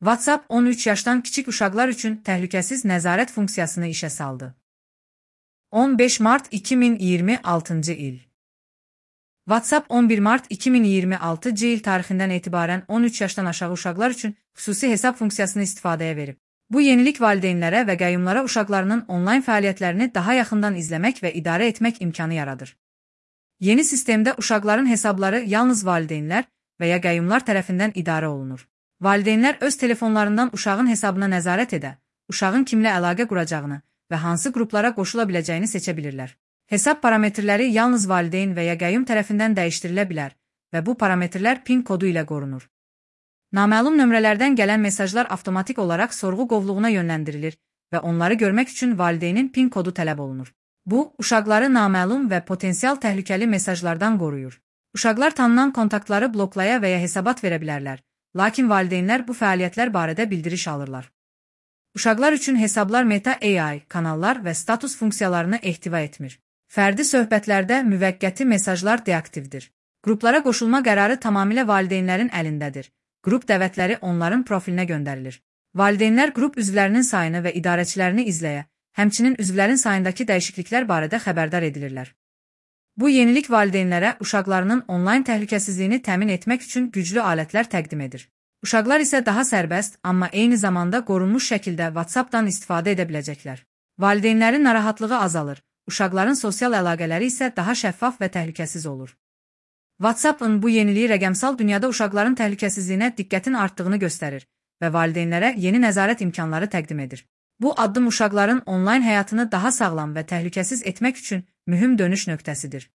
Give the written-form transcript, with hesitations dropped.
WhatsApp 13 yaşdan kiçik uşaqlar üçün təhlükəsiz nəzarət funksiyasını işə saldı. 15 mart 2026 il. WhatsApp 11 mart 2026 il tarixindən etibarən 13 yaşdan aşağı uşaqlar üçün xüsusi hesab funksiyasını istifadəyə verib. Bu yenilik valideynlərə və qəyyumlara uşaqlarının onlayn fəaliyyətlərini daha yaxından izləmək və idarə etmək imkanı yaradır. Yeni sistemdə uşaqların hesabları yalnız valideynlər və ya qəyyumlar tərəfindən idarə olunur. Valideynlər öz telefonlarından uşağın hesabına nəzarət edə, uşağın kimlə əlaqə quracağını və hansı qruplara qoşula biləcəyini seçə bilirlər. Hesab parametrləri yalnız valideyn və ya qəyyum tərəfindən dəyişdirilə bilər və bu parametrlər PIN kodu ilə qorunur. Naməlum nömrələrdən gələn mesajlar avtomatik olaraq sorğu qovluğuna yönləndirilir və onları görmək üçün valideynin PIN kodu tələb olunur. Bu, uşaqları naməlum və potensial təhlükəli mesajlardan qoruyur. Uşaqlar tanınan kontaktları bloklaya və ya hesabat verə bilərlər, lakin valideynlər bu fəaliyyətlər barədə bildiriş alırlar. Uşaqlar üçün hesablar Meta AI kanallar və status funksiyalarını ehtiva etmir. Fərdi söhbətlərdə müvəqqəti mesajlar deaktivdir. Qruplara qoşulma qərarı tamamilə valideynlərin əlindədir. Qrup dəvətləri onların profilinə göndərilir. Valideynlər qrup üzvlərinin sayını və idarəçilərini izləyə, həmçinin üzvlərin sayındakı dəyişikliklər barədə xəbərdar edilirlər. Bu yenilik valideynlərə uşaqlarının onlayn təhlükəsizliyini təmin etmək üçün güclü alətlər təqdim edir. Uşaqlar isə daha sərbəst, amma eyni zamanda qorunmuş şəkildə WhatsApp-dan istifadə edə biləcəklər. Valideynlərin narahatlığı azalır, uşaqların sosial əlaqələri isə daha şəffaf və təhlükəsiz olur. WhatsApp-ın bu yeniliyi rəqəmsal dünyada uşaqların təhlükəsizliyinə diqqətin artdığını göstərir və valideynlərə yeni nəzarət imkanları təqdim edir. Bu addım uşaqların onlayn həyatını daha sağlam və təhlükəsiz etmək üçün mühüm dönüş nöqtəsidir.